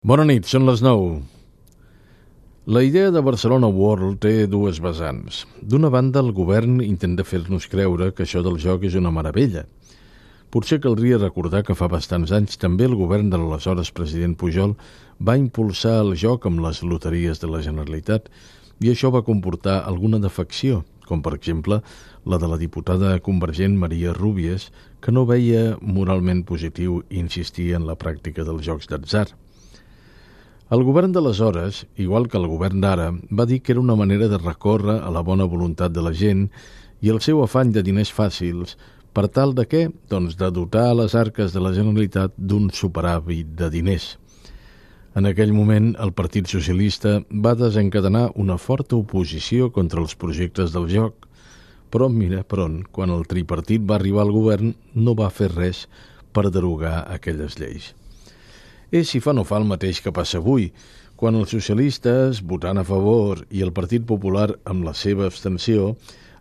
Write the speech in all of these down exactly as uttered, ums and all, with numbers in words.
Bona nit, són les nou. La idea de Barcelona World té dues vessants. D'una banda, el govern intenta fer-nos creure que això del joc és una meravella. Potser caldria recordar que fa bastants anys també el govern de l'aleshores president Pujol va impulsar el joc amb les loteries de la Generalitat i això va comportar alguna defecció, com per exemple la de la diputada convergent Maria Rúbies, que no veia moralment positiu insistir en la pràctica dels jocs d'atzar. El govern d'aleshores, igual que el govern d'ara, va dir que era una manera de recórrer a la bona voluntat de la gent i el seu afany de diners fàcils per tal de què? Doncs de dotar a les arques de la Generalitat d'un superàvit de diners. En aquell moment, el Partit Socialista va desencadenar una forta oposició contra els projectes del joc, però mira per on, quan el tripartit va arribar al govern, no va fer res per derogar aquelles lleis. És si fa no fa el mateix que passa avui, quan els socialistes, votant a favor, i el Partit Popular, amb la seva abstenció,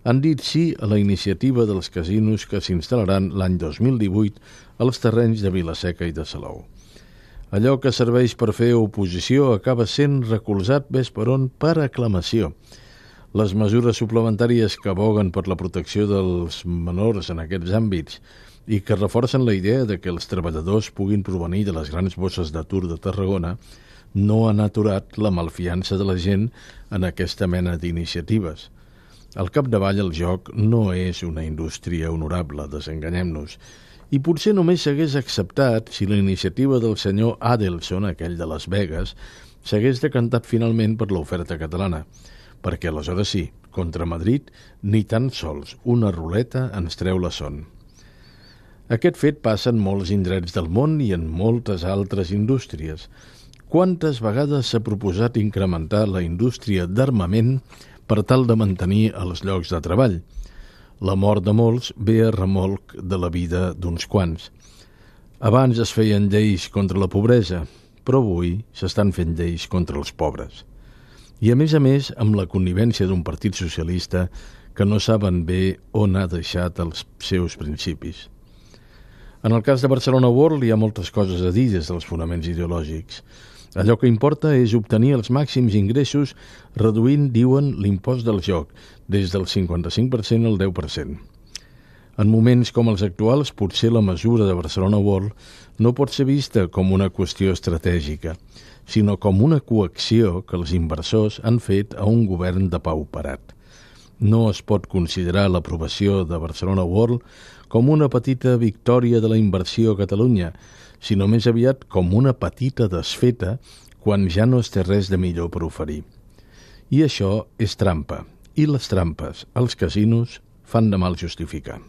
han dit sí a la iniciativa dels casinos que s'instal·laran l'any dos mil divuit als terrenys de Vila-seca i de Salou. Allò que serveix per fer oposició acaba sent recolzat ves per on per aclamació. Les mesures suplementàries que aboguen per la protecció dels menors en aquests àmbits i que reforcen la idea de que els treballadors puguin provenir de les grans bosses d'atur de Tarragona no han aturat la malfiança de la gent en aquesta mena d'iniciatives. Al capdavall, el joc no és una indústria honorable, desenganyem-nos, i potser només s'hagués acceptat si la iniciativa del senyor Adelson, aquell de Las Vegas, s'hagués decantat finalment per l'oferta catalana, perquè aleshores sí, contra Madrid, ni tan sols una ruleta ens treu la son. Aquest fet passa en molts indrets del món i en moltes altres indústries. Quantes vegades s'ha proposat incrementar la indústria d'armament per tal de mantenir els llocs de treball? La mort de molts ve a remolc de la vida d'uns quants. Abans es feien lleis contra la pobresa, però avui s'estan fent lleis contra els pobres. I a més a més amb la connivència d'un partit socialista que no saben bé on ha deixat els seus principis. En el cas de Barcelona World hi ha moltes coses a dir des dels fonaments ideològics. Allò que importa és obtenir els màxims ingressos reduint, diuen, l'impost del joc, des del cinquanta-cinc per cent al deu per cent. En moments com els actuals, potser la mesura de Barcelona World no pot ser vista com una qüestió estratègica, sinó com una coacció que els inversors han fet a un govern de pauperat. No es pot considerar l'aprovació de Barcelona World com una petita victòria de la inversió a Catalunya, sinó més aviat com una petita desfeta quan ja no es té res de millor per oferir. I això és trampa, i les trampes als casinos fan de mal justificar.